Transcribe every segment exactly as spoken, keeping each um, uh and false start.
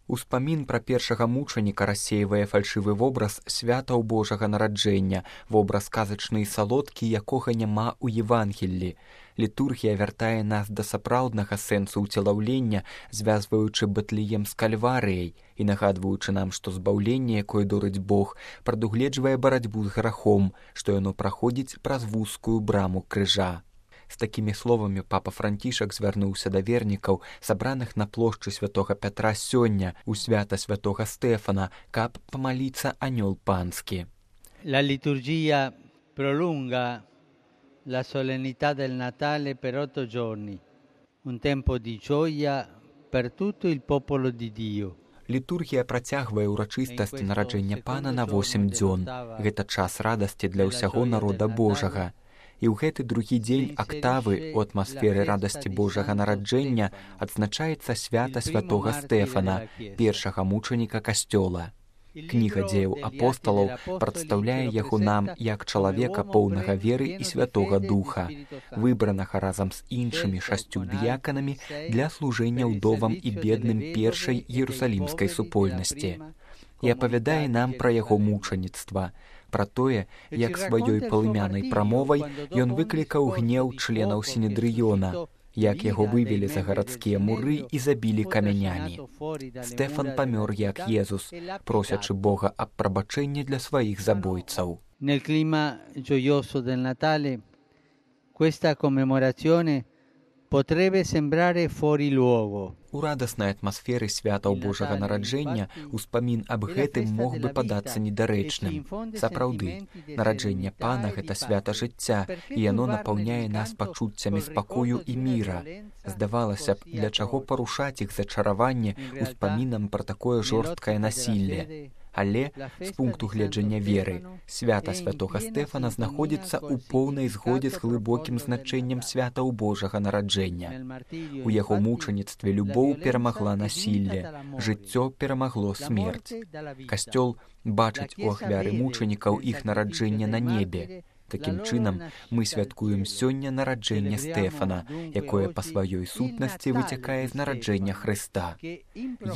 Успамін пра першага мучаніка рассейвае фальшывы вобраз святаў Божага нараджэння, вобраз казачны і салодкі, якога няма ў Евангеллі. Літургія вяртае нас да сапраўднага сэнсу ўцелаўлення, звязваючы Бэтлеем з Кальварыяй і нагадваючы нам, што збаўленне, якое дорыць Бог, прадугледжвае барацьбу з грахом, што яно праходзіць праз вузкую браму крыжа. З такімі словамі папа Францішак звярнуўся да вернікаў, сабраных на плошчы святога Пятра сёння у свята святога Стэфана, каб памаліцца анёл панскі. La liturgia prolunga la solennità del Natale per otto giorni, un tempo di gioia per tutto il popolo di Dio. Літургія працягвае ўрачыстасць нараджэння Пана на восем дзён. Гэта час радасці для ўсяго народа Божага. І ў гэты другі дзень актавы ў атмасферы радасці Божага нараджэння адзначаецца свята святога Стэфана, першага мучаніка касцёла. Кніга дзеяў апосталаў прадстаўляе яго нам як чалавека поўнага веры і святога духа, выбранага разам з іншымі шасцю дыяканамі для служэння ўдовам і бедным першай іерусалімскай супольнасці. І апавядае нам пра яго мучаніцтва, пра тое, як сваёй палымянай прамовай ён выклікаў гнеў членаў сінедрыёна, як яго вывелі за гарадскія муры і забілі камянямі. Стэфан памёр як Езус, просячы Бога аб прабачэнні для сваіх забойцаў. Nel clima gioioso del Natale, questa commemorazione potrebbe sembrare fuori luogo. У радаснай атмасферы святаў Божага нараджэння успамін аб гэтым мог бы падацца недарэчным. Сапраўды, нараджэнне Пана — гэта свята жыцця, і яно напаўняе нас пачуццямі спакою і міра. Здавалася б, для чаго парушаць іх зачараванне успамінам пра такое жорсткае насілле. Але, з пункту гледжання веры, свята святога Стэфана знаходзіцца ў поўнай згодзе з глыбокім значэннем святаў Божага нараджэння. У яго мучаніцтве любоў перамагла насілле, жыццё перамагло смерць. Касцёл бачыць у ахвяры мучанікаў іх нараджэнне на небе. Такім чынам, мы святкуем сёння нараджэнне Стэфана, якое па сваёй сутнасці выцякае з нараджэння Хрыста.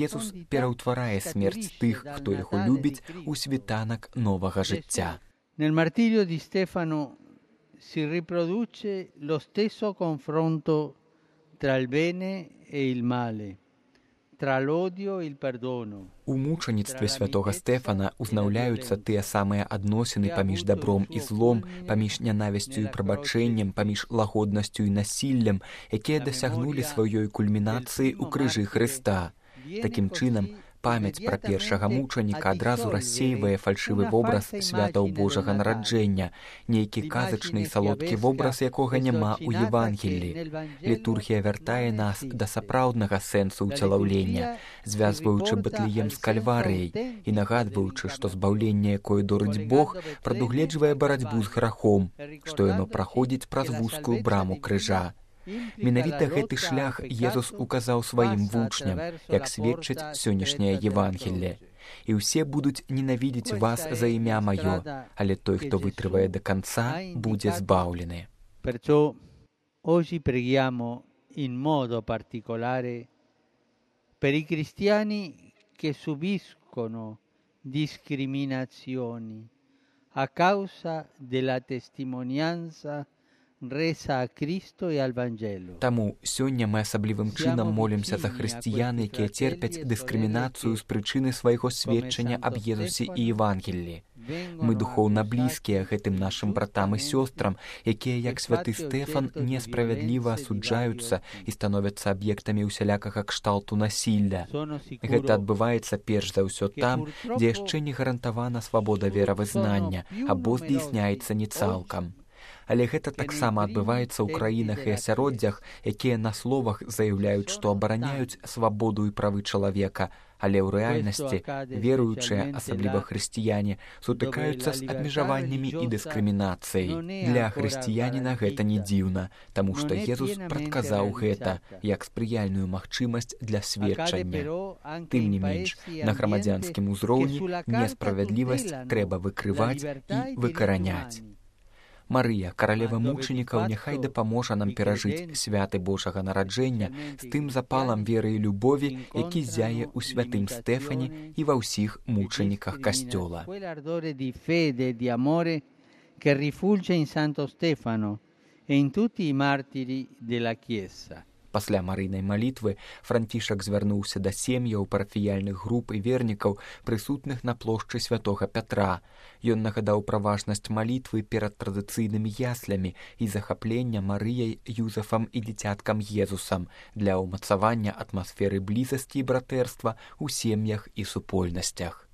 Езус пераўтварае смерць тых, хто яго любіць, у світанак новага жыцця. Nel martirio di Stefano si riproduce lo stesso confronto tra il bene e il male, tra l'odio e il perdono. У мучаніцтве святога Стэфана узнаўляюцца тыя самыя адносіны паміж дабром і злом, паміж нянавісцю і прабачэннем, паміж лагоднасцю і насіллем, якія дасягнулі сваёй кульмінацыі ў крыжы Хрыста. Такім чынам, памяць пра першага мучаніка адразу рассейвае фальшывы вобраз святаў Божага нараджэння, нейкі казачны і салодкі вобраз, якога няма ў Евангеллі. Літургія вяртае нас да сапраўднага сэнсу ўцелаўлення, звязваючы Бэтлеем з Кальварыяй і нагадваючы, што збаўленне, якое дорыць Бог, прадугледжвае барацьбу з грахом, што яно праходзіць праз вузкую браму крыжа. Менавіта гэты шлях Езус указаў сваім вучням, як сведчыць сённяшняе Евангелле. І ўсе будуць ненавідзець вас за імя маё, але той, хто вытрывае да канца, будзе збаўлены. Perciò oggi preghiamo in modo particolare per i cristiani che subiscono discriminazioni a causa della testimonianza resa a Cristo e al Vangelo. Таму сёння мы асаблівым чынам молімся за хрысціян, якія церпяць дыскрымінацыю з прычыны свайго сведчання аб Езусе і Евангеллі. Мы духоўна блізкія гэтым нашым братам і сёстрам, якія, як святы Стэфан, несправядліва асуджаюцца і становяцца аб'ектамі ўсялякага кшталту насілля. Гэта адбываецца перш за ўсё там, дзе яшчэ не гарантавана свабода веравызнання або здзейсняецца не цалкам. Але гэта таксама адбываецца ў краінах і асяроддзях, якія на словах заяўляюць, што абараняюць свабоду і правы чалавека, але ў рэальнасці веруючыя, асабліва хрысціяне, сутыкаюцца з абмежаваннямі і дыскрымінацыяй. Для хрысціяніна гэта не дзіўна, таму што Езус прадказаў гэта як спрыяльную магчымасць для сведчання. Тым не менш, на грамадзянскім узроўні несправядлівасць трэба выкрываць і выкараняць. Марыя, каралева мучанікаў, няхай дапаможа нам перажыць святы Божага нараджэння з тым запалам веры і любові, які зяе ў святым Стэфане і ва ўсіх мучаніках Касцёла. Che rifulge in Santo Stefano e in tutti i martiri della Chiesa. Пасля марыйнай малітвы Францішак звярнуўся да сем'яў парафіяльных груп і вернікаў, прысутных на плошчы святога Пятра. Ён нагадаў пра важнасць малітвы перад традыцыйнымі яслямі і захаплення Марыяй, Юзефам і дзіцяткам Езусам для ўмацавання атмасферы блізасці і братэрства ў сем'ях і супольнасцях.